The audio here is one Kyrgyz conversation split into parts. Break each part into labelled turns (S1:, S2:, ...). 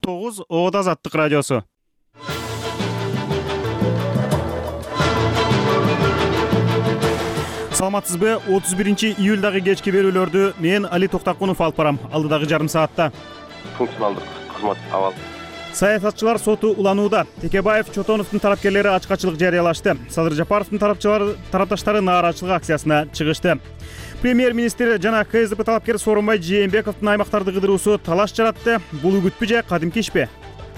S1: 9 Оот Азаттык радиосу. Саламатсызбы? 31-июлдагы кечки берүүлөрдү мен Али Токтакунов алып барам. Алдыдагы жарым саатта
S2: функционалдык кызмат абал.
S1: Саясатчылар соту уланууда. Текебаев, Чотоновдун тарапкерлери ачкачылык жарыялашты. Садыр Жапаровдун тарапташтары нааразычылык акциясына чыгышты. Премьер-министр жана КСДП талапкер Сооронбай Жээнбековдун аймактарды кыдыруусу талаш жаратты. Бул үгүтпү же кадимки ишпи?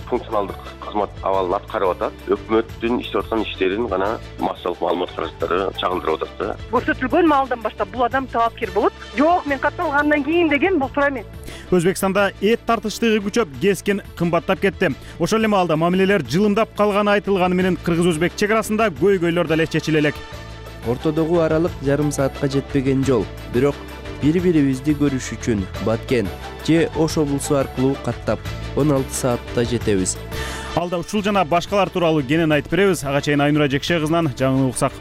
S2: Функционалдык кызмат абалын аткарып атат. Өкмөттүн иштеп аткан иштерин гана массалык маалымат каражаттары чагылдырып атат да.
S3: Көрсөтүлгөн маалдан баштап бул адам талапкер болот. Жок, мен катталгандан кийин деген бул туура эмес.
S1: Өзбекстанда эт тартыштыгы күчөп, кескен кымбаттап кетти. Ошол эле маалда мамилелер жылымдап калганы айтылганы менен кыргыз-өзбек чек арасында көйгөйлөр деле чечиле элек.
S4: Ортодогу аралык жарым саатка жетпеген жол. Бирок бири-бирибизди көрүш үчүн Баткен же Ош облусу аркылуу каттап 16 саатта жетебиз.
S1: Алда ушул жана башкалар тууралуу кенен айтып беребиз. Ага чейин Айнура Жекше кызынан жаңы уксак.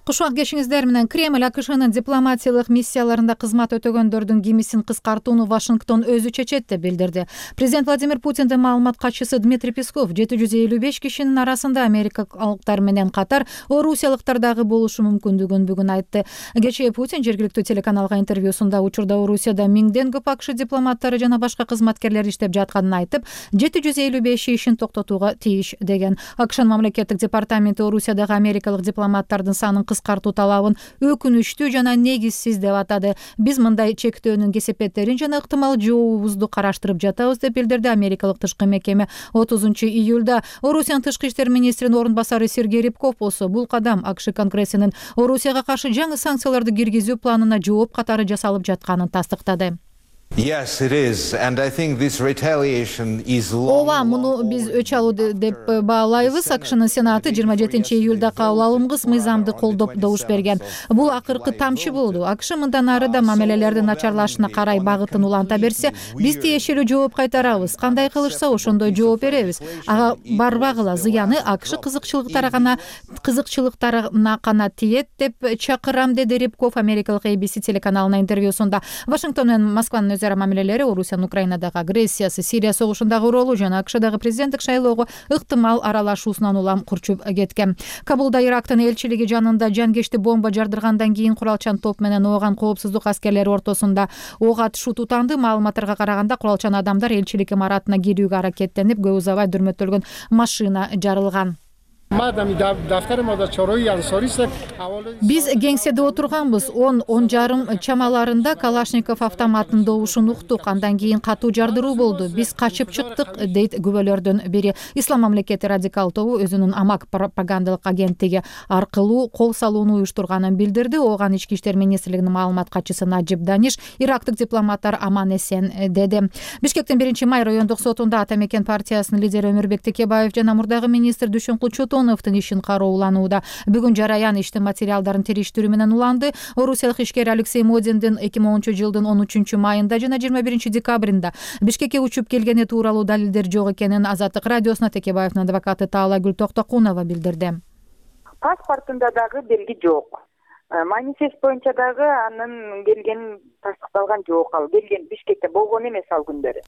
S5: Кушак кешиңиздер менен. Кремль АКШнын дипломатиялык миссияларында кызмат өтөгөндөрдүн кимисин кыскартууну Вашингтон өзү чечет деп билдирди. Президент Владимир Путиндин маалымат катчысы Дмитрий Песков 755 кишинин арасында америкалыктар менен катар орусиялыктар дагы болушу мүмкүндүгүн бүгүн айтты. Кечээ Путин жергиликтүү телеканалга интервьюсунда учурда Орусияда миңден көп АКШ дипломаттары жана башка кызматкерлер иштеп жатканын айтып, 755 ишин токтотууга тийиш деген. АКШнын мамлекеттик департаменти Орусиядагы америкалык дипломаттардын санын кыскартуу талабын өкүнүчтүү жана негизсиз деп атады. Биз мындай чектөөнүн кесепеттерин жана ыктымал жообубузду караштырып жатабыз деп билдирди америкалык тышкы мекеме. 30-июлда Орусиянын тышкы иштер министринин орун басары Сергей Рябков болсо, бул кадам АКШ Конгрессинин Орусияга каршы жаңы санкцияларды киргизүү планына жооп катары жасалып жатканын тастыктады.
S6: Yes, it is, and I think this retaliation is long.
S5: Ооба, муну биз өч алуу деп баалайбыз. АКШнын Сенаты 27-июлда кабыл алынгыс мыйзамды колдоп добуш берген. Бул акыркы тамчы болду. АКШ мындан ары да мамилелердин начарлашына карай багытын уланта берсе, биз тиешелүү жооп кайтарабыз. Кандай кылышса ошондой жооп беребиз. Ага барбагыла, зыяны АКШ кызыкчылыктарына гана тиет деп чакырам, деди Рябков америкалык ABC телеканалына интервьюсунда. Вашингтон менен Москванын өзара мамилелери Орусиянын Украинадагы агрессиясы, Сирия согушундагы ролу жана АКШдагы президенттик шайлоого ыктымал аралашуусунан улам курчуп кеткен. Кабулда Ирактын элчилиги жанында жанкечти бомба жардыргандан кийин куралчан топ менен ооган коопсуздук аскерлери ортосунда ок атышуу тутанды. Маалыматтарга караганда куралчан адамдар элчилик имаратына кирүүгө аракеттенип, көп узабай дүрмөтөлгөн машина жарылган. Биз кеңседе отурганбыз. 10:30 чамаларында Калашников автоматтын добушун уктук. Андан кийин катуу жардыруу болду. Биз качып чыктык, дейт күбөлөрдүн бири. Ислам мамлекети радикал тобу өзүнүн Амак пропагандалык агенттиги аркылуу кол салууну уюштурганын билдирди. Ооган ички иштер министрлигинин маалымат катчысы Наджиб Даниш ирактык дипломаттар аман эсен деди. Бишкектин 1-май райондук сотунда Ата мекен партиясынын лидери Өмүрбек Текебаев жана мурдагы министр Дүйшөнкул Чотоновдун ишин карооланууда. Бүгүн жараян иштин материалдарын териштирүү менен уланды. Орусиялык ишкер Алексей Модиндин 2010-жылдын 13-майында жана 21-декабрында Бишкекке учуп келгени тууралуу далилдер жок экенин Азаттык радиосуна Текебаевдин адвокаты Таалайгүл Токтокунова билдирди.
S3: Паспортунда дагы белги жок. Манифест боюнча дагы анын келгени тастыкталган жок. Ал келген Бишкекте болгон эмес ал күндөрү.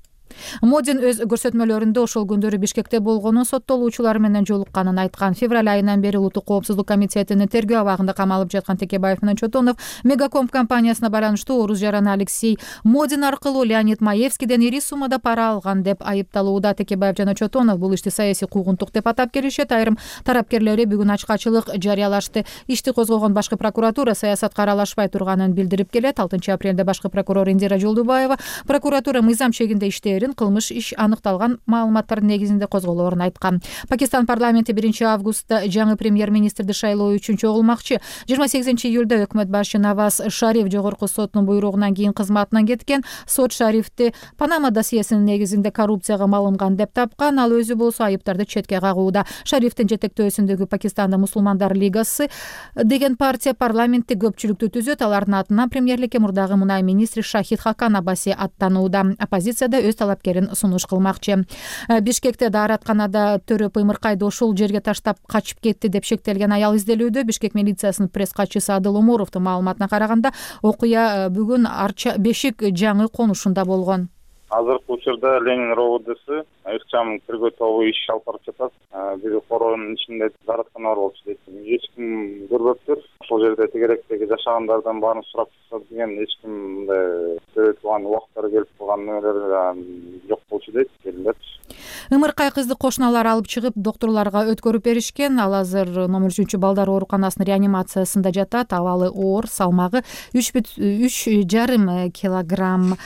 S5: Модин өз көрсөтмөлөрүндө ошол күндөрү Бишкекте болгонун, соттолуучулар менен жолукканын айткан. Февраль айынан бери Улуттук коопсуздук комитетинин тергөө абагында камалып жаткан Текебаев менен Чотонов Мегакомп компаниясына байланыштуу орус жараны Алексей Модин аркылуу Леонид Маевскийден ири суммада пара алган деп айыпталууда. Текебаев жана Чотонов бул ишти саясий куугунтук деп атап келишет. Айрым тараптерлери бүгүн ачкачылык жарыялашты. Ишти козгогон башкы прокуратура саясатка аралашпай турганын билдирип келет. 6-апрелде башкы прокурор Индира Жолдубаева прокуратура мыйзам чегинде иштээрин, кылмыш иш аныкталган маалыматтардын негизинде козголоорун айткан. Пакистан парламенти 1-августта жаңы премьер-министрди шайлоо үчүн чогулмакчы. 28-июлда өкмөт башы Наваз Шариф жогорку соттун буйругунан кийин кызматынан кеткен. Сот Шарифти Панама досьесинин негизинде коррупцияга малынган деп тапкан. Ал өзү болсо айыптарды четке кагууда. Шарифтин жетектөөсүндөгү Пакистанда мусулмандар лигасы деген партия парламентте көпчүлүктү түзөт. Алардын атынан премьерликке мурдагы мунай министри Шахид Хакан Абаси аттанууда. Оппозицияда өз талапкерин сунуш кылмакчы. Бишкекте дааратканада Төрөп Ымыркайды ушул жерге таштап качып кетти деп шектелген аял изделүүдө. Бишкек милициясынын пресс катчысы Адыл Умуровдун маалыматына караганда, окуя бүгүн Арча Бешик жаңы конушунда болгон.
S7: Азыркы учурда Ленин РОВДсы ыкчам тергөө тобу иш алып барып жатат. Бир короонун ичинде даараткана бар болчу дейт. Эч ким көрбөптүр. Ошол жерде тегеректеги жашагандардан баарын сурап чыкса деген эч ким мындай көрөтүлган убактары келип калган нелер жок болчу дейт.
S5: Ымыркай кызды кошуналар алып чыгып, доктурларга өткөрүп беришкен. Ал азыр номер 3 балдар ооруканасынын реанимациясында жатат. Абалы оор, салмагы 3,5 килограмм.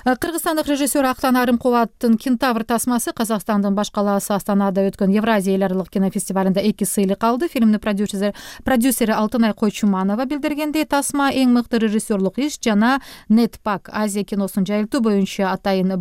S5: Кыргызстандык режиссер Актан Арымкуловдун «Кентавр» тасмасы Казакстандын баш калаасы Астанада өткөн Евразия эл аралык кинофестивалында 2 сыйлык алды. Фильмдин продюсери Алтынай Койчуманова билдиргендей, тасма эң мыкты режиссерлук иш жана Нетпак Азия киносун жайылтуу боюнча атайын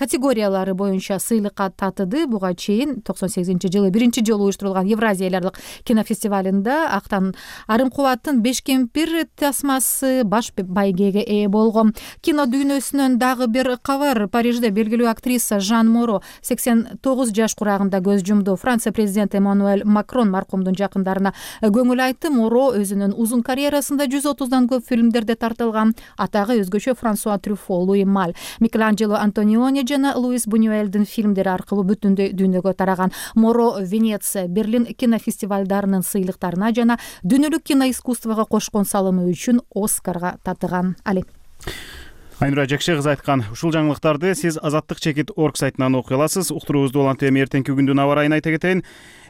S5: категориялары боюнча сыйлыкка татыды. Буга чейин 98-жылы биринчи жолу уюштурулган Евразия эл аралык кинофестивалында Актан Арымкуловдун «Беш кемпир» тасмасы баш байгеге ээ болгон. Кино дүйнөсүнөн дагы бир кабар. Парижде белгилүү актриса Жан Моро 89 жаш курагында көз жумду. Франция президенти Эммануэль Макрон маркумдун жакындарына көңүл айтты. Моро өзүнүн узун карьерасында 130дан көп фильмдерде тартылган. Атагы өзгөчө Франсуа Трюфо, Луи Маль, Микеланджело Антониони жана Луис Бунюэлдин фильмдери аркылуу бүтүн дүйнөгө тараган. Моро Венеция, Берлин кинофестивалдарынын сыйлыктарына жана дүйнөлүк киноискусствого кошкон салымы үчүн Оскарга татыган. Али
S1: Айнура Жакшы кызы айткан ушул жаңылыктарды сиз azattik.org сайтынан окуй аласыз. Уктуруубузду улантып эртеңки күндүн аба ырайын айта кетейин.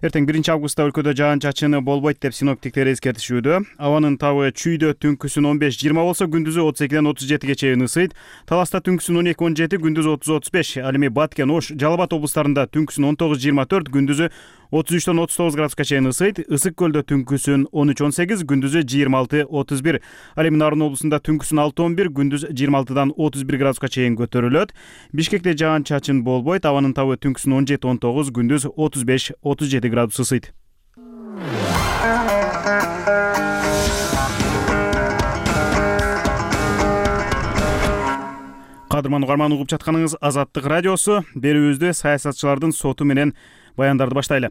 S1: Эртең 1-августта өлкөдө жаан-чачыны болбойт деп синоптиктер эскертишүүдө. Абанын табы чүйдө түнкүсүн 15-20 болсо, күндүзү 32-37 чейин ысыйт. Таласта түнкүсүн 12-17, күндүзү 30-35. Ал эми Баткен, Ош, Жалал Абад облустарында түнкүсүн 19-24, күндүзү 33-39 градуска чейин ысыйт. Ысык көлдө түнкүсүн 13-18, күндүзү 26-31. Ал эми Нарын облусунда түнкүсүн 6-11, күндүз 26-31 градуска чейин көтөрүлөт. Бишкекте жаан-чачын болбойт. Абанын табы түнкүсүн 17-19, күндүз 35-37 градус ысыйт. Кадырман угарман, угуп жатканыңыз Азаттык радиосу. Берүүбүздө саясатчылардын соту менен баяндарды баштайлы.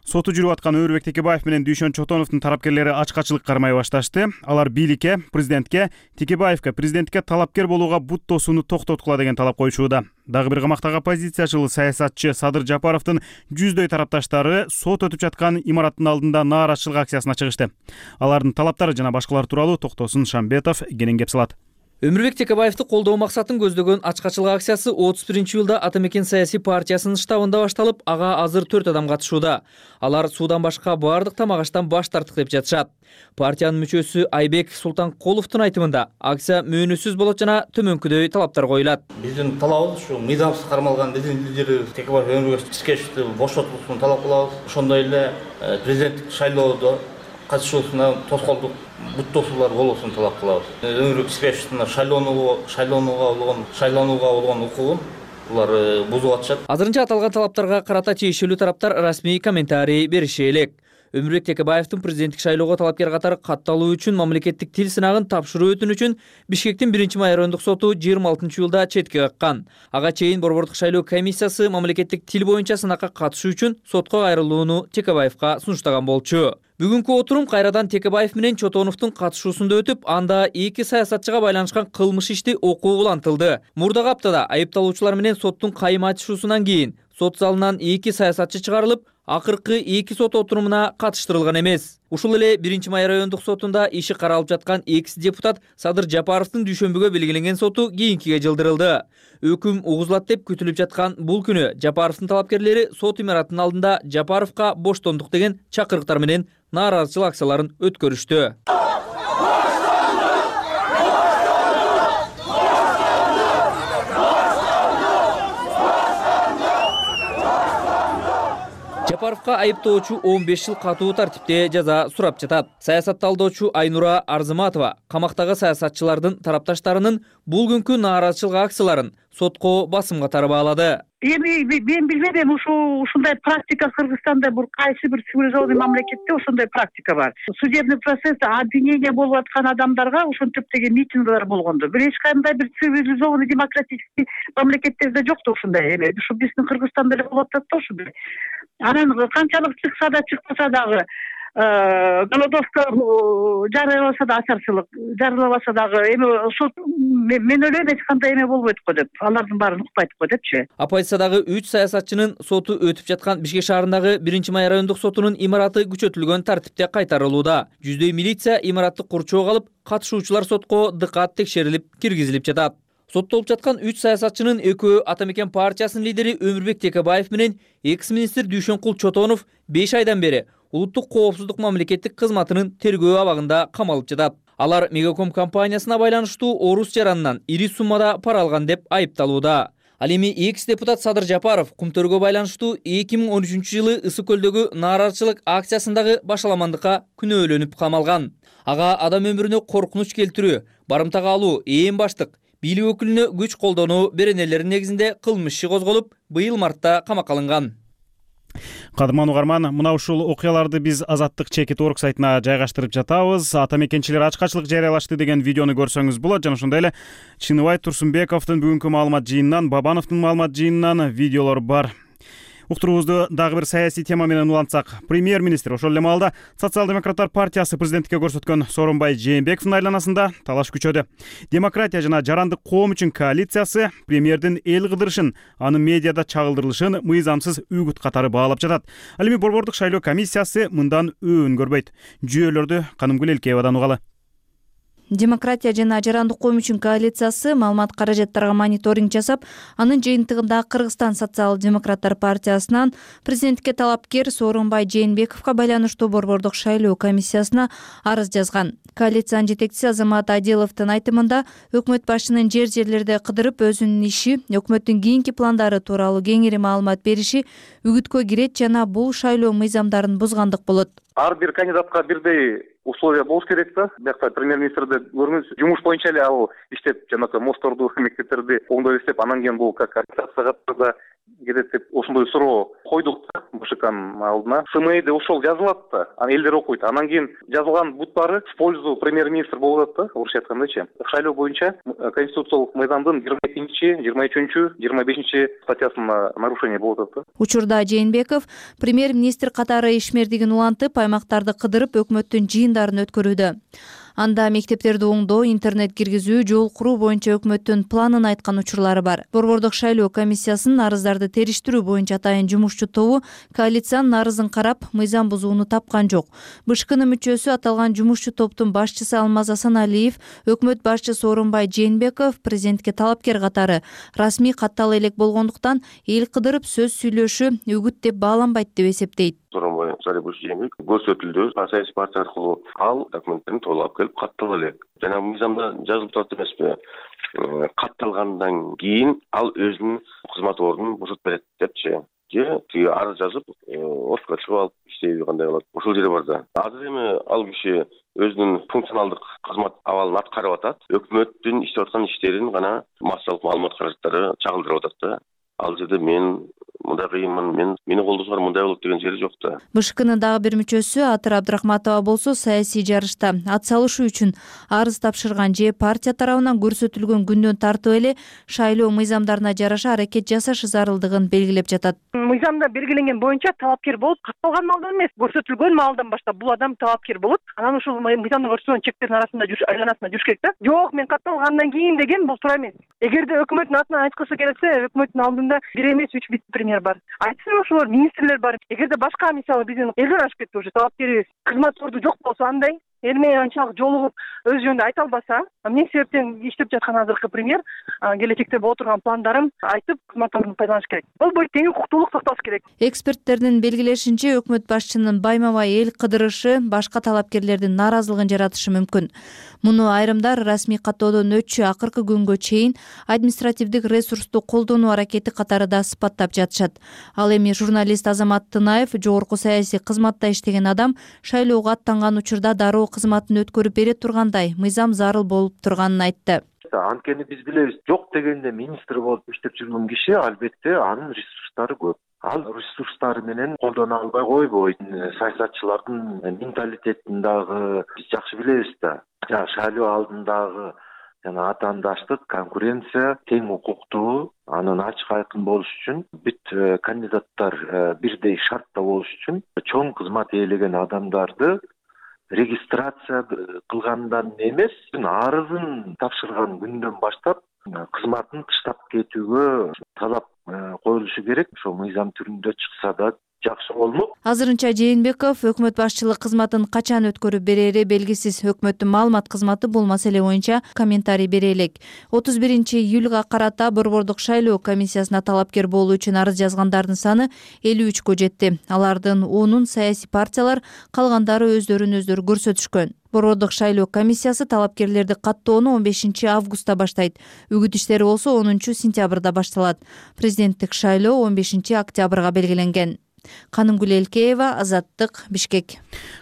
S1: Соту жүрүп аткан Өмүрбек Текебаев менен Дүйшөн Чотоновдун тарапкерлери ачкачылык кармай башташты. Алар бийликке, президентке, Текебаевке президенттикке талапкер болууга бут тосууну токтоткула деген талап коюшууда. Дагы бир камактагы оппозициячыл саясатчы Садыр Жапаровдун жүздөй тарапташтары сот өтүп жаткан имараттын алдында нааразычылык акциясына чыгышты. Алардын талаптары жана башкалар тууралуу Токтосун Шамбетов кенен кеп салат.
S8: Өмүрбек Текебаевди колдоо максатын көздөгөн ачкачылык акциясы 31-жылда Ата Мекен саясий партиясынын штабында башталып, ага азыр 4 адам катышууда. Алар суудан башка баардык тамак-аштан баш тарттык деп жатышат. Партиянын мүчөсү Айбек Султанкуловдун айтымында акция мөөнөтсүз болот жана төмөнкүдөй талаптар коюлат.
S9: Биздин талабыбыз ушу мыйзамсыз кармалган биздин лидери Текебаев Өмүрбек Текебаевди бошотулуусун талап кылабыз. Ошондой эле президенттик шайлоодо катышуусуна тоскоолдук бут тосуулар болуусун талап кылабыз. Өмүрбек Текебаевдин шайлоонууга болгон укугун булар бузуп атышат.
S8: Азырынча аталган талаптарга карата тиешелүү тараптар расмий комментарий бериши элек. Өмүрбек Текебаевдин президенттик шайлоого талапкер катары катталуу үчүн мамлекеттик тил сынагын тапшыруу өтүнүчүн Бишкектин 1-май райондук соту 26-жылда четке каккан. Ага чейин борбордук шайлоо комиссиясы мамлекеттик тил боюнча сынакка катышуу үчүн сотко кайрылууну Текебаевга сунуштаган болчу. Бүгүнкү отурум кайрадан Текебаев менен Чотоновдун катышуусунда өтүп, анда эки саясатчыга байланышкан кылмыш ишти окуу улантылды. Мурдагы аптада айыпталуучулар менен соттун кайма ачышуусунан кийин сот залынан эки саясатчы чыгарылып, акыркы эки сот отурумуна катыштырылган эмес. Ушул эле 1-май райондук сотунда иши каралып жаткан экс-депутат Садыр Жапаровдун дүйшөмбүгө белгиленген соту кийинкиге жылдырылды. Өкүм угузулат деп күтүлүп жаткан бул күнү Жапаровдун талапкерлери сот имараттын алдында Жапаровго боштондук деген чакырыктар менен нааразычылык акцияларын өткөрүштү. Жапаровга айыптоочу 15 жыл катуу тартипте жаза сурап жатат. Саясатталдоочу Айнура Арзыматова камактагы саясатчылардын тарапташтарынын бул күнкү нааразычылык акцияларын сотко басым катары баалады.
S10: Эми мен билбедим, ушундай практика Кыргызстанда бул кайсы бир цивилизованный мамлекетте ошондой практика бар. Судебный процесс обвинение болуп аткан адамдарга ошентип деген митингдер болгондо. Бир эч кандай бир цивилизованный демократический мамлекеттерде жок да ушундай эме. Ушу биздин Кыргызстанда эле болуп атат да ушундай. Анан канчалык чыкса да чыкпаса дагы голодовка жарыяласа да ачарчылык жарыялабаса дагы эми сот мен ойлойм эч кандай эме болбойт го деп, алардын баарын укпайт го депчи.
S8: Оппозициядагы 3 саясатчынын соту өтүп жаткан Бишкек шаарындагы 1-май райондук сотунун имараты күчөтүлгөн тартипте кайтарылууда. Жүздөй милиция имаратты курчоого алып, катышуучулар сотко дыкат текшерилип, киргизилип жатат. Соттолуп жаткан 3 саясатчынын экөө Ата Мекен партиясынын лидери Өмүрбек Текебаев менен экс-министр Дүйшөнкул Чотонов 5 айдан бери улуттук коопсуздук мамлекеттик кызматынын тергөө абагында камалып жатат. Алар Мегаком компаниясына байланыштуу орус жаранынан ири суммада пара алган деп айыпталууда. Ал эми экс-депутат Садыр Жапаров кумтөргө байланыштуу 2013-жылы Ысык көлдөгү нааразычылык акциясындагы башаламандыкка күнөөлөнүп камалган. Ага адам өмүрүнө коркунуч келтирүү, барымтага алуу, ээн баштык, бийлик өкүлүнө күч колдонуу беренелери негизинде кылмыш иши козголуп, быйыл мартта камакка алынган.
S1: Кадырман угарман, мына ушул окуяларды биз Азаттык чекит орг сайтына жайгаштырып жатабыз. Ата мекенчилер ачкачылык жарыялашты деген видеону көрсөңүз болот. Жана ошондой эле Чыныбай Турсунбековдун бүгүнкү маалымат жыйынынан, Бабановдун маалымат жыйынынан видеолор бар. Уктуруубузду дагы бир саясий тема менен улантсак, премьер-министр ошол эле маалда Социал-демократтар партиясы президенттикке көрсөткөн Сооронбай Жээнбековдун айланасында талаш күчөдү. Демократия жана жарандык коом үчүн коалициясы премьердин эл кыдырышын, анын медиада чагылдырылышын мыйзамсыз үгүт катары баалап жатат. Ал эми борбордук шайлоо комиссиясы мындан өбүн көрбөйт. Жүйөлөрдү Канымгүл Элкеевадан угалы.
S11: Демократия жана жарандык коом үчүн коалициясы маалымат каражаттарга мониторинг жасап, анын жыйынтыгында Кыргызстан социал-демократтар партиясынан президенттикке талапкер Сооронбай Жээнбековго байланыштуу борбордук шайлоо комиссиясына арыз жазган. Коалициянын жетекчиси Азамат Адиловдун айтымында, өкмөт башчынын жерлерде кыдырып өзүнүн иши, өкмөттүн кийинки пландары тууралуу кеңири маалымат бериши үгүткө кирет жана бул шайлоо мыйзамдарын бузгандык болот.
S7: Ар бир кандидатка бирдей условия болуш керек да. Биякта премьер-министрди көрүңүз, жумуш боюнча эле ал иштеп, жанагы мостторду, мектептерди оңдой иштеп, анан кийин бул как коалицияга кирет деп ошондой суроо койдук да БШКнын алдына. СМИде ошол жазылат да, анан элдер окуйт. Анан кийин жазылган буттары в пользу премьер-министр болуп атат да, орусча айткандачы. Шайлоо боюнча конституциялык мыйзамдын 22-чи, 23-чү, 25-чи статьясына нарушение болуп атат да.
S11: Учурда Жээнбеков премьер-министр катары ишмердигин улантып, аймактарды кыдырып, өкмөттүн жыйындарын өткөрүүдө. Анда мектептерди оңдоо, интернет киргизүү, жол куруу боюнча өкмөттүн планын айткан учурлары бар. Борбордук шайлоо комиссиясынын арыздарды териштирүү боюнча атайын жумушчу тобу коалициянын арызын карап, мыйзам бузууну тапкан жок. БШКнын мүчөсү аталган жумушчу топтун башчысы Алмаз Асаналиев, өкмөт башчы Сооронбай Жээнбеков президентке талапкер катары расмий каттала элек болгондуктан эл кыдырып сөз сүйлөшү үгүт деп бааланбайт деп эсептейт.
S2: Сооронбай Жээнбеков көрсөтүлдү. Саясий партия аркылуу ал документтерин толуп келип каттала элек. Жана мыйзамда жазылып турат эмеспи? Катталгандан кийин ал өзүнүн кызмат ордунун бошотуп берет депчи. Же тиги арыз жазып, отурга чыгып алып иштейби кандай болот? Ошол жерде бар да. Азыр эми ал киши өзүнүн функционалдык кызмат абалын аткарып атат. Өкмөттүн иштеп аткан иштерин гана массалык маалымат каражаттары чагылдырып атат да. Ал жерде мен мындай кыйынмын, мени колдосоңор мындай болот деген жери жок да.
S11: БШКнын дагы бир мүчөсү Атыр Абдрахматова болсо саясий жарышта ат салышуу үчүн арыз тапшырган же партия тарабынан көрсөтүлгөн күндөн тартып эле шайлоо мыйзамдарына жараша аракет жасашы зарылдыгын белгилеп жатат.
S10: Мыйзамда белгиленген боюнча талапкер болуп, катталган маалдан эмес, көрсөтүлгөн маалдан баштап бул адам талапкер болот. Анан ушул мыйзамда көрсөтүлгөн чектердин арасында айланасында жүрүш керек да. Жок, мен катталгандан кийин деген бул туура эмес. Эгерде өкмөттүн атынан айткысы келсе, өкмөттүн алдында 1 эмес 3 вице-премьер бар. Айтсын ошолор министрлер бар. Эгерде башка мисалы биздин элден ашып кетти уже талапкерибиз, кызмат орду жок болсо андай эл менен анчалык жолугуп өз жөнүндө айта албаса, эмне себептен иштеп жаткан азыркы премьер келечекте боло турган пландарын айтып, кызмат ордун пайдаланыш керек. Болбойт, тең укуктуулук сакталыш керек.
S11: Эксперттердин белгилешинче, өкмөт башчынын байма-бай эл кыдырышы башка талапкерлердин нааразылыгын жаратышы мүмкүн. Муну айрымдар расмий каттоодон өтчү акыркы күнгө чейин административдик ресурсту колдонуу аракети катары да сыпаттап жатышат. Ал эми журналист Азамат Тынаев, жогорку саясий кызматта иштеген адам, шайлоого аттанган учурда дароо кызматын өткөрүп бере тургандай мыйзам зарыл болуп турганын айтты.
S12: да. Анткени биз билебиз, жок дегенде министр болуп иштеп жүргөн киши албетте анын ресурстары көп. Ал ресурстары менен колдоно албай койбойт. Саясатчылардын менталитетин дагы биз жакшы билебиз да. Шайлоо алдындагы жана атаандаштык, конкуренция, тең укуктуу, анын ачык айкын болуш үчүн бүт кандидаттар бирдей шартта болуш үчүн чоң кызмат ээлеген адамдарды регистрация кылгандан эмес, арызын тапшырган күндөн баштап кызматын таштап кетүүгө талап коюлушу керек. Ошо мыйзам түрүндө чыкса да жакшы болмок.
S11: Азырынча Жээнбеков өкмөт башчылык кызматын качан өткөрүп берери белгисиз. Өкмөттүн маалымат кызматы бул маселе боюнча комментарий бере элек. 31-июлга карата Борбордук шайлоо комиссиясына талапкер болуу үчүн арыз жазгандардын саны 53кө жетти. Алардын 10-ун саясий партиялар, калгандары өздөрүн көрсөтүшкөн. Борбордук шайлоо комиссиясы талапкерлерди каттоону 15-августта баштайт. Үгүт иштери болсо 10-сентябрда башталат. Президенттик шайлоо 15-октябрга белгиленген. Канымгүл Элкеева, Азаттык, Бишкек.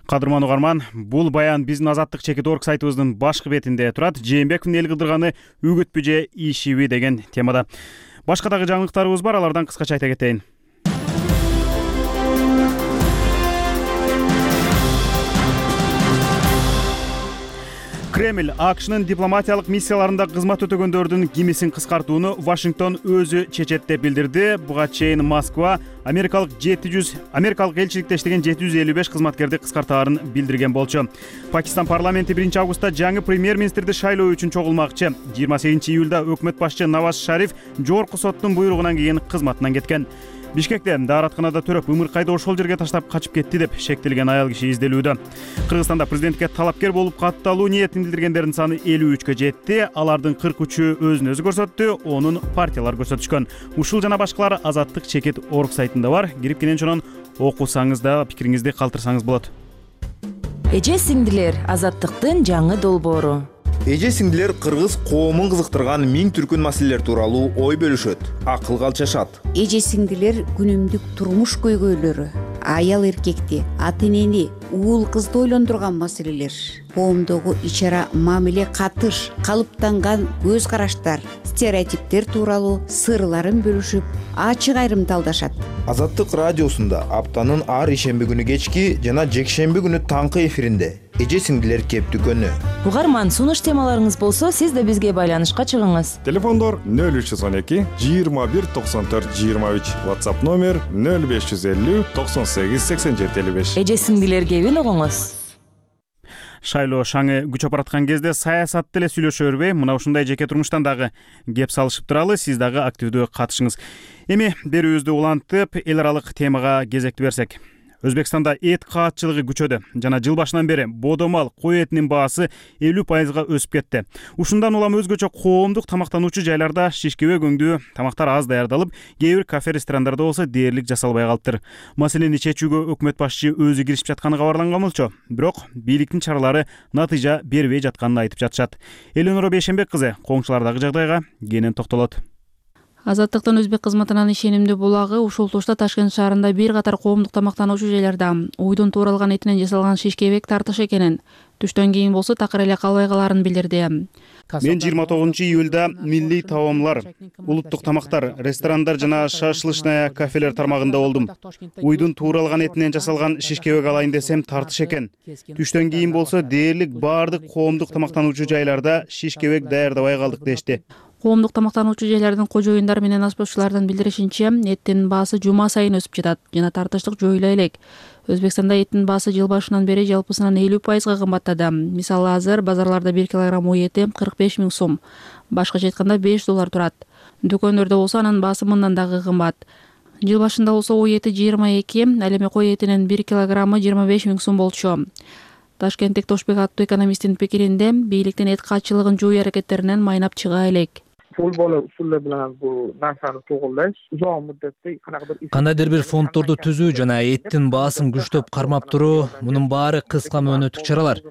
S1: Кадырман угарман, бул баян биздин Азаттык чекит.org сайтыбыздын башкы бетинде турат. Жээнбековдун эл кыдырганы үгүтпү же ишиби деген темада. Башка дагы жаңылыктарыбыз бар, алардан кыскача айта кетейин. Кремль АКШнын дипломатиялык миссияларында кызмат өтөгөндөрдүн кимисин кыскартууну Вашингтон өзү чечет деп билдирди. Буга чейин Москва америкалык элчиликте иштеген 755 кызматкерди кыскартаарын билдирген болчу. Пакистан парламенти 1-августта жаңы премьер-министрди шайлоо үчүн чогулмакчы. 28-июлда өкмөт башчы Наваз Шариф жогорку соттун буйругунан кийин кызматынан кеткен. Бишкекте дааратканада төрөп ымыркайды ошол жерге таштап качып кетти деп шектелген аял киши изделүүдө. Кыргызстанда президентке талапкер болуп катталуу ниетин билдиргендердин саны 53кө жетти. Алардын 43-ü өзүн өзү көрсөттү, онун партиялар көрсөтүшкөн. Ушул жана башкалар Азаттык чекит.org сайтында бар. Кирип кенен чонон окусаңыз да пикириңизди калтырсаңыз болот.
S13: Эже сиңдилер, Азаттыктын жаңы долбоору.
S14: Эже сиңдилер кыргыз коомун кызыктырган миң түркүн маселелер тууралуу ой бөлүшөт, акыл калчашат.
S15: Эже сиңдилер күнүмдүк турмуш көйгөйлөрү, аял эркекти, ата энени, уул кызды ойлондурган маселелер, коомдогу ичара мамиле катыш, калыптанган көз караштар, стереотиптер тууралуу сырларын бөлүшүп, ачык айрымталдашат.
S14: Азаттык радиосунда аптанын ар ишемби күнү кечки жана жекшемби күнү таңкы эфиринде эже сиңдилер кептүкөнү.
S13: Угарман, сунуш темаларыңыз болсо, сиз да бизге байланышка чыгыңыз.
S16: Телефондор 0312 21 94 23, WhatsApp номер 0550 98 87 55.
S13: Эже сиңдилер кебин угуңуз.
S1: Шайлоо шаңы күч апараткан кезде саясатты эле сүйлөшө бербей, мына ушундай жеке турмуштан дагы кеп салышып туралы, сиз дагы активдүү катышыңыз. Эми берүүбүздү улантып, эл аралык темага кезекти берсек. Өзбекстанда эт каатчылыгы күчөдө жана жыл башынан бери бодомал кой этинин баасы 50% өсүп кетти. Ушундан улам өзгөчө коомдук тамактануучу жайларда шишкебек өңдүү тамактар аз даярдалып, кээ бир кафе-ресторандарда болсо дээрлик жасалбай калыптыр. Маселени чечүүгө өкмөт башчы өзү киришип жатканы кабарланган болчу. Бирок бийликтин чаралары натыйжа бербей жатканын айтып жатышат. Элөнора Бейшенбек кызы коңшулардагы жагдайга кенен токтолот.
S17: Азаттыктын өзбек кызматынан ишенимдүү булагы ушул тушта Ташкент шаарында бир катар коомдук тамактануучу жайларда уйдун тууралган этинен жасалган шишкебек тартыш экенин, түштөн кийин болсо такыр эле калбай каларын билдирди.
S1: Мен 29-июлда милли таомлар, улуттук тамактар, ресторандар жана шашлычная кафелер тармагында болдум. Уйдун тууралган этинен жасалган шишкебек алайын десем тартыш экен. Түштөн кийин болсо дээрлик баардык коомдук тамактануучу жайларда шишкебек даярдабай калдык дешти.
S17: Коомдук тамактануучу жайлардын кожоюндар менен аспозчулардын билдиришинче, эттин баасы жума сайын өсүп жатат жана тартыштык жоюла элек. Өзбекстанда эттин баасы жыл башынан бери жалпысынан 50% кымбаттады. Мисалы азыр базарларда 1 килограмм ой эти 45 000 сом, башкача айтканда $5 турат. Дүкөндөрдө болсо анын баасы мындан дагы кымбат. Жыл башында болсо ой эти 22, ал эми кой этинин 1 килограммы 25 000 сом болчу. Ташкенттик Тошбек аттуу экономисттин пикиринде, бийликтин эт каатчылыгын жою аракеттеринен майнап чыга элек.
S18: Кандайдыр бир фонддорду түзүү жана эттин баасын күчтөп кармап туруу, мунун баары кыска мөөнөттүк чаралар.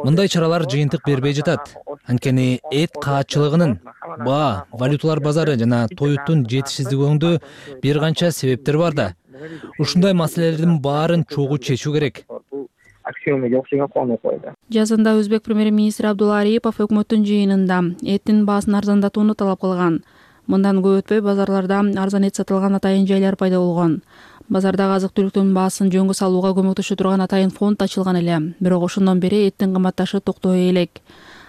S18: Мындай чаралар жыйынтык бербей жатат. Анткени эт каатчылыгынын баа, валюталар базары жана тоюттун жетишсиздигиндө бир канча себептер бар да. Ушундай маселелердин баарын чогуу чечүү керек.
S19: күйөөмө окшогон кубанып койду.
S17: Жазында өзбек премьер-министри Абдулла Арипов өкмөттүн жыйынында эттин баасын арзандатууну талап кылган. Мындан көп өтпөй базарларда арзан эт сатылган атайын жайлар пайда болгон. Базардагы азык-түлүктүн баасын жөнгө салууга көмөктөшө турган атайын фонд ачылган эле. Бирок ошондон бери эттин кымбатташы токтобой элек.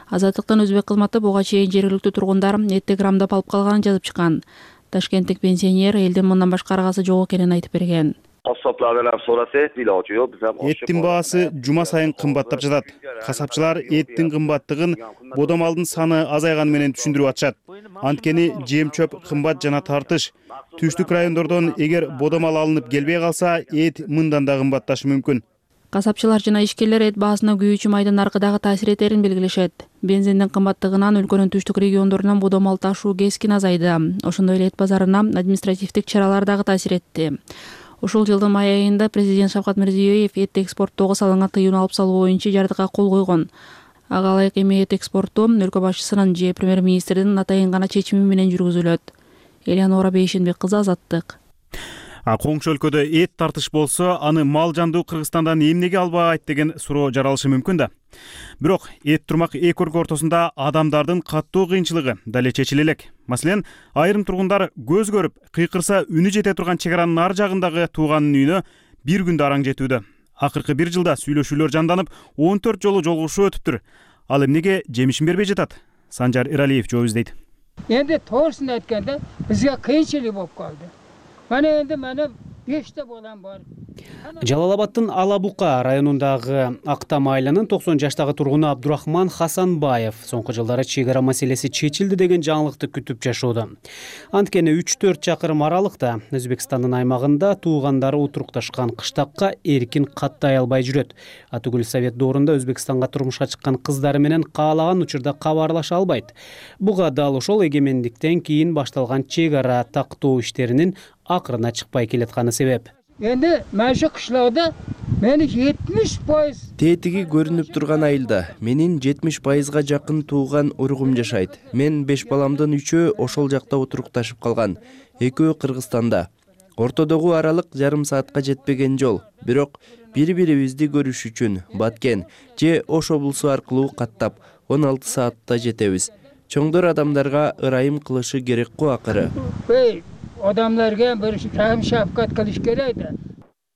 S17: Азаттыктын өзбек кызматы буга чейин жергиликтүү тургундар этти грамдап алып калганын жазып чыккан. Ташкенттик пенсионер элдин мындан башка аргасы жок экенин айтып берген.
S1: Эттин баасы жума сайын кымбаттап жатат. Касапчылар эттин кымбаттыгын бода малдын саны азайганы менен түшүндүрүп атышат. Анткени жем-чөп кымбат жана тартыш. Түштүк райондордон эгер бода мал алынып келбей калса, эт мындан да кымбатташы мүмкүн.
S17: Касапчылар жана ишкерлер эт баасына күйүүчү майдын наркыдагы таасир этерин белгилешет. Бензиндин кымбаттыгынан өлкөнүн түштүк региондорунан бода мал ташуу кескин азайды. Ошондой эле эт базарына административдик чаралар дагы таасир этти. Ушул жылдын май айында президент Шавкат Мирзиёев эт экспорттоого салынган тыюуну алып салуу боюнча жардыга кол койгон. Ага ылайык эми эт экспорту өлкө башчысынын же премьер-министрдин атайын гана чечими менен жүргүзүлөт. Элеонора Бейшенбек кызы, Азаттык.
S1: Коңшу өлкөдө эт тартыш болсо, аны мал жандуу Кыргызстандан эмнеге албайт деген суроо жаралышы мүмкүн да. Бирок эт турмак эки өлкө ортосунда адамдардын каттуу кыйынчылыгы дале чечиле элек. Маселен, айрым тургундар көз көрүп, кыйкырса үнү жете турган чек аранын ар жагындагы тууганын үйүнө бир күндө араң жетүүдө. Акыркы бир жылда сүйлөшүүлөр жанданып, 14 жолу жолугушуу өтүптүр. Ал эмнеге жемишин бербей жатат? Санжар Иралиев жооп издейт.
S20: Энди тоосун айтканда бизге кыйынчылык болуп калды. Мана энди 5 балам бар.
S21: Жалал-Абадтын Ала Бука районундагы Актам айылынын 90 жаштагы тургуну Абдурахман Хасанбаев соңку жылдары чек ара маселеси чечилди деген жаңылыкты күтүп жашоодо. Анткени 3-4 чакырым аралыкта Өзбекстандын аймагында туугандары утурукташкан кыштакка эркин каттай албай жүрөт. Атүгүл Совет доорунда Өзбекстанга турмушка чыккан кыздары менен каалаган учурда кабарлаша албайт. Буга дал ошол эгемендиктен кийин башталган чек ара тактоо иштеринин акырына чыкпай келатканы себеп.
S20: Энди мәші кышлауда мени 70%.
S4: Тетиги көрүнүп турган айылда менин 70%га жакын тууган уругум жашайт. Мен 5 баламдын 3-өө ошол жакта отурукташып калган. Экөө Кыргызстанда. Ортодогу аралык жарым саатка жетпеген жол. Бирок бири-бирибизди көрүш үчүн Баткен же Ош облусу аркылуу каттап 16 саатта жетебиз. Чоңдор адамдарга ырайым кылышы керек го акыры.
S20: Odamlarga bir rahim shafqat qilish kerak da.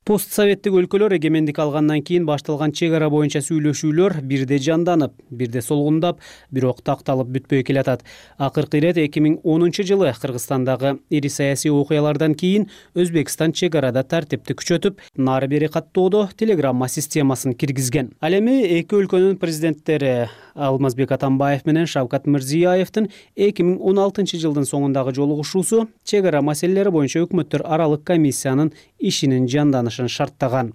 S21: Постсоветтик өлкөлөр эгемендик алгандан кийин башталган чек ара боюнча сүйлөшүүлөр бирде жанданып, бирде солгундап, бирок такталып бүтпөй келатат. Акыркы ирет 2010 жылы Кыргызстандагы ири саясий окуялардан кийин Өзбекстан чек арада тартипти күчөтүп, нары бери каттоодо телеграмма системасын киргизген. Ал эми эки өлкөнүн президенттери Алмазбек Атамбаев менен Шавкат Мирзиёевдин 2016 жылдын соңундагы жолугушуусу чек ара маселелери боюнча өкмөттөр аралык комиссиянын ишинин жанданышын шарттаган.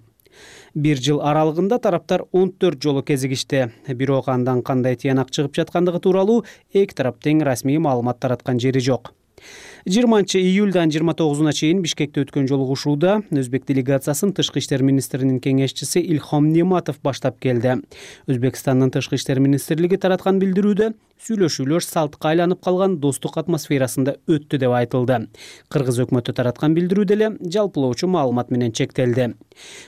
S21: Бир жыл аралыгында тараптар 14 жолу кезигишти. Бирок андан кандай тыянак чыгып жаткандыгы тууралуу эки тарап тең расмий маалымат тараткан жери жок. 20-июльдан 29-уна чейин Бишкекте өткөн жолугушууда Өзбек делегациясын тышкы иштер министринин кеңешчиси Илхом Нематов баштап келди. Өзбекстандын тышкы иштер министрлиги тараткан билдирүүдө сүйлөшүүлөр салтка айланып калган достук атмосферасында өттү деп айтылды. Кыргыз өкмөтү тараткан билдирүүдө эле жалпылоочу маалымат менен чектелди.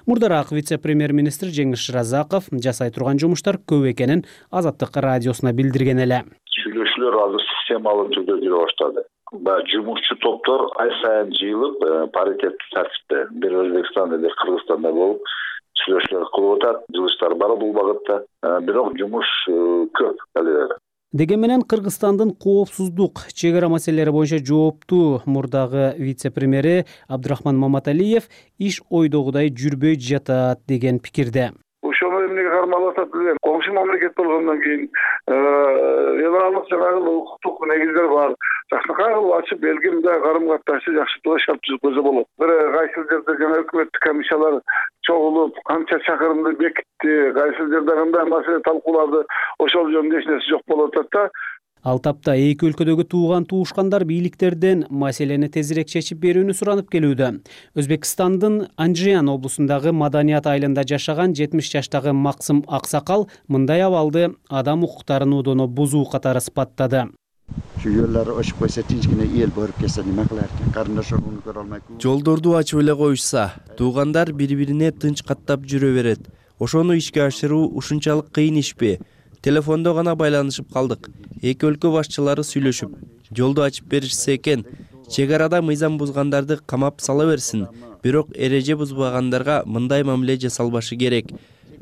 S21: Мурдараак вице-премьер-министр Жеңиш Шыразаков жасай турган жумуштар көп экенин Азаттык радиосуна билдирген эле.
S22: Сүйлөшүүлөр азыр системалуу түрдө жүрө баштады. Жумушчу топтор ай сайын жыйылып, паритеттик тартипте бир Өзбекстанда, бир Кыргызстанда болуп сүйлөшүүлөр кылып атат. Жылыштар бар бул багытта, бирок жумуш көп алы.
S21: Деген менен Кыргызстандын коопсуздук чек ара маселелери боюнча жооптуу мурдагы вице-премьери Абдурахман Маматалиев иш ойдогудай жүрбөй жатат деген пикирде.
S22: Ошону эмнеге кармалып атат билем. Коңшу мамлекет болгондон кийин эл аралык жанагы укуктук негиздер бар. Жакшынакай ачып белгимде карым катнашты жакшыртууга шарт түзгөзө болот. Бир кайсыл жерде жана өкмөттүк комиссиялар чогулуп, канча чакырымды бекитти, кайсыл жерде кандай маселе талкуулады, ошол жөнүндө эч нерсе жок болуп атат да.
S21: Ал тапта эки өлкөдөгү тууган туушкандар бийликтерден маселени тезирээк чечип берүүнү суранып келүүдө. Өзбекстандын Анжиан облусундагы Маданият айылында жашаган 70 жаштагы Максым Аксакал мындай абалды адам укуктарын удоно бузуу катары сыпаттады.
S23: Жолдорду ачып койсо тинчкене эл көрүп келсе неме кылар экен? Карындаш уругун көрө албай.
S4: Жолдорду ачып эле коюшса, туугандар бири-бирине тынч каттап жүрө берет. ошону ишке ашыруу ушунчалык кыйын ишпи? Телефондо гана байланышып калдык. Эки өлкө башчылары сүйлөшүп, жолду ачып беришсе экен. Чек арада мыйзам бузгандарды камап сала берсин, бирок эреже бузбагандарга мындай мамиле жасалбашы керек.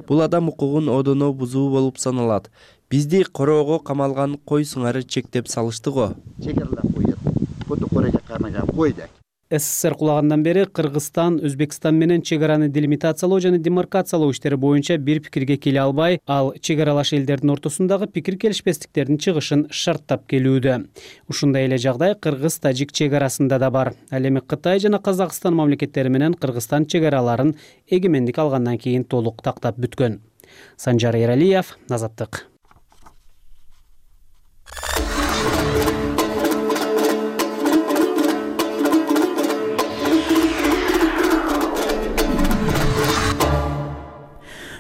S4: Бул адам укугун одоно бузуу болуп саналат. Бизди короого камалган кой сыңары чектеп салышты го.
S21: СССР кулагандан бери Кыргызстан Өзбекстан менен чек араны делимитациялоо жана демаркациялоо иштери боюнча бир пикирге келе албай, ал чек аралаш элдердин ортосундагы пикир келишпестиктердин чыгышын шарттап келүүдө. Ушундай эле жагдай Кыргыз-Тажик чек арасында да бар. Ал эми Кытай жана Казакстан мамлекеттери менен Кыргызстан чек араларын эгемендик алгандан кийин толук тактап бүткөн. Санжар Эралиев, Азаттык.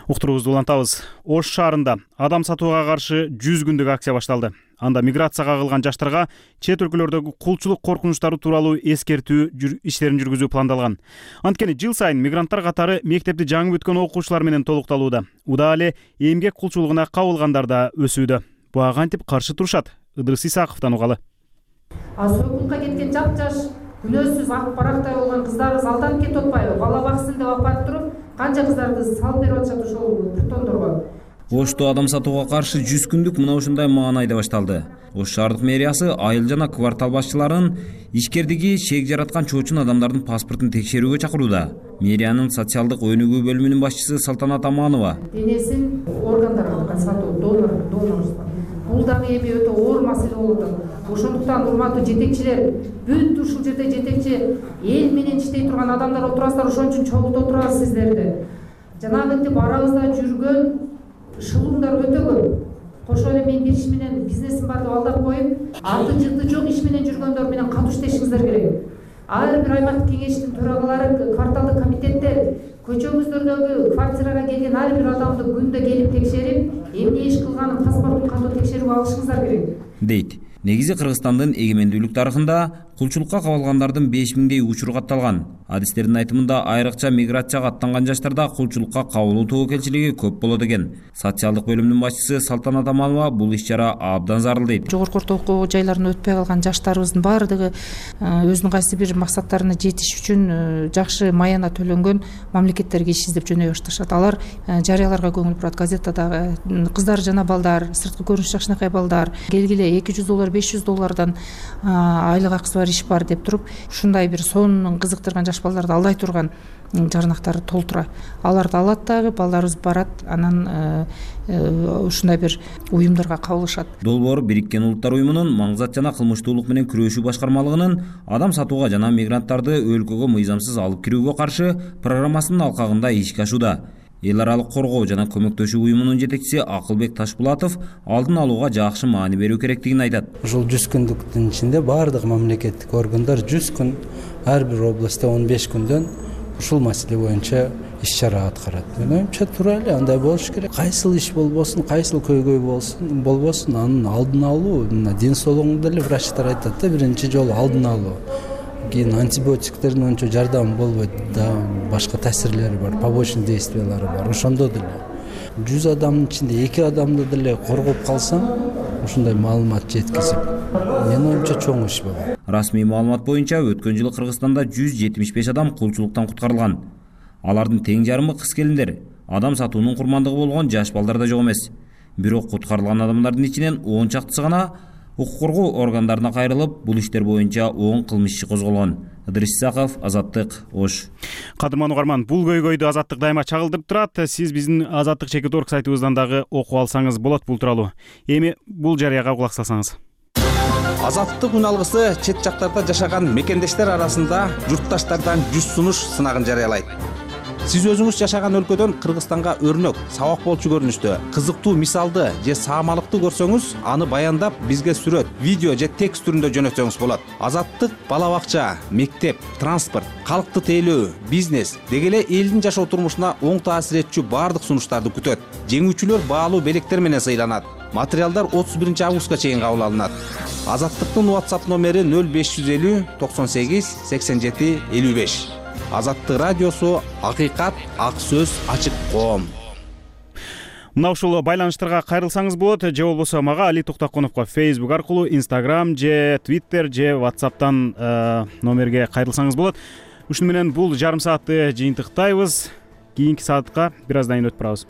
S1: Уктуруубузду улантабыз. Ош шаарында адам сатууга каршы 100 күндүк акция башталды. Анда миграцияга кылган жаштарга чет өлкөлөрдөгү кулчулук коркунучтары тууралуу эскертүү иштерин жүргүзүү пландалган. Анткени жыл сайын мигранттар катары мектепти жаңы бүткөн окуучулар менен толукталууда. Уда эле эмгек кулчулугуна кабылгандар да өсүүдө. Буга кантип каршы турушат? Ыдырыс Исаковдон угалы.
S3: Сокулукка кеткен жап-жаш, күнөөсүз ак барактай болгон кыздарыбыз алданып кетип атпайбы? Бала баксын деп алып барып туруп, канча кыздарды салып берип атышат ошол притондорго.
S6: Ошто адам сатууга каршы 100 күндүк мына ушундай маанайда башталды. Ош шаардык мэриясы айыл жана квартал башчыларын ишкердиги шек жараткан чоочун адамдардын паспортун текшерүүгө чакырууда. Мэриянын социалдык өнүгүү бөлүмүнүн башчысы Салтанат Аманова.
S3: Денесин органдарга сатуу, донорство. Бул дагы эми өтө оор маселе болуп атат. Ошондуктан урматтуу жетекчилер, бүт ушул жерде жетекчи эл менен иштей турган адамдар отурасыздар, ошон үчүн чогултуп отурабыз сиздерди. Жанагынтип арабызда жүргөн шылуңдар өтө көп. Кошо эле мен бир иш менен бизнесим бар деп алдап коюп, аты жыты жок иш менен жүргөндөр менен катуу иштешиңиздер керек. Ар бир аймактык кеңештин төрагалары, кварталдык комитеттер көчөңүздөрдөгү квартирага келген ар бир адамды күндө келип текшерип, эмне иш кылганын паспортун катуу текшерип алышыңыздар керек,
S6: дейт. Негизи Кыргызстандын эгемендүүлүк тарыхында кулчулукка кабылгандардын 5000дей учуру катталган. Адистердин айтымында айрыкча миграцияга аттанган жаштарда кулчулукка кабылуу тобокелчилиги көп болот экен. Социалдык бөлүмүнүн башчысы Салтанат Аманова бул иш-чара абдан зарыл дейт.
S3: Жогорку орто окуу жайларына өтпөй калган жаштарыбыздын баардыгы өзүнүн кайсы бир максаттарына жетиш үчүн жакшы маяна төлөнгөн мамлекеттерге иш издеп жөнөй башташат. Алар жарыяларга көңүл бурат, газетадагы кыздар жана балдар, сырткы көрүнүш жакшынакай балдар келгиле $200, $500 айлык акысы бар иш бар деп туруп, ушундай бир сонун кызыктырган жаш балдарды алдай турган жарнактары толтура. Аларды алат дагы, балдарыбыз барат, анан ушундай бир уюмдарга кабылышат.
S6: Долбоор Бириккен Улуттар уюмунун маңзат жана кылмыштуулук менен күрөшүү башкармалыгынын адам сатууга жана мигранттарды өлкөгө мыйзамсыз алып кирүүгө каршы программасынын алкагында ишке ашууда. Эл аралык коргоо жана көмөктөшүү уюмунун жетекчиси Акылбек Ташбулатов алдын алууга жакшы маани берүү керектигин айтат.
S19: Ушул 100 күндүктүн ичинде баардык мамлекеттик органдар 100 күн, ар бир областта 15 күндөн ушул маселе боюнча иш-чара аткарат. Мен оюмча туура эле андай болуш керек. Кайсыл иш болбосун, кайсыл көйгөй болбосун, анын алдын алуу, ден соолугуңду деле врачтар айтат да, биринчи жолу алдын алуу. Кийин антибиотиктердин ончо жардамы болбойт да, башка таасирлери бар, побочный действиялары бар. Ошондо деле 100 адамдын ичинде 2 адамды деле коргоп калсаң, ушундай маалымат жеткизип, менин оюмча чоң иш болот.
S6: Расмий маалымат боюнча өткөн жылы Кыргызстанда 175 адам кулчулуктан куткарылган. Алардын тең жарымы кыз келиндер, адам сатуунун курмандыгы болгон жаш балдар да жок эмес. Бирок куткарылган адамдардын ичинен 10 чактысы гана укук коргоо органдарына кайрылып, бул иштер боюнча 10 кылмыш иши козголгон. Ыдырыс Исаков, Азаттык, Ош.
S1: Кадырман угарман, бул көйгөйдү Азаттык дайыма чагылдырып турат. Сиз биздин Азаттык.org сайтыбыздан дагы окуп алсаңыз болот бул тууралуу. Эми бул жарыяга кулак салсаңыз.
S24: Азаттык үн алгысы чет жактарда жашаган мекендештер арасында журтташтардан 100 сунуш сынагын жарыялайт. Сиз өзүңүз жашаган өлкөдөн Кыргызстанга өрнөк, сабак болчу көрүнүштө кызыктуу мисалды же саамалыкты көрсөңүз, аны баяндап бизге сүрөт, видео же текст түрүндө жөнөтсөңүз болот. Азаттык бала бакча, мектеп, транспорт, калкты тейлөө, бизнес деги эле элдин жашоо турмушуна оң таасир этчү баардык сунуштарды күтөт. Жеңүүчүлөр баалуу белектер менен сыйланат. Материалдар 31 августка чейин кабыл алынат. Азаттыктын WhatsApp номери 0550 98 87 55. Азаттык радиосу, акыйкат, ак сөз, ачык коом.
S1: мына ушул байланыштарга кайрылсаңыз болот, же болбосо мага Али Токтоконовго Facebook аркылуу, Instagram же Twitter же WhatsApp'тан номерге кайрылсаңыз болот. Ушуну менен бул жарым саатты жыйынтыктайбыз. Кийинки саатка бир аздан кийин өтүп барабыз.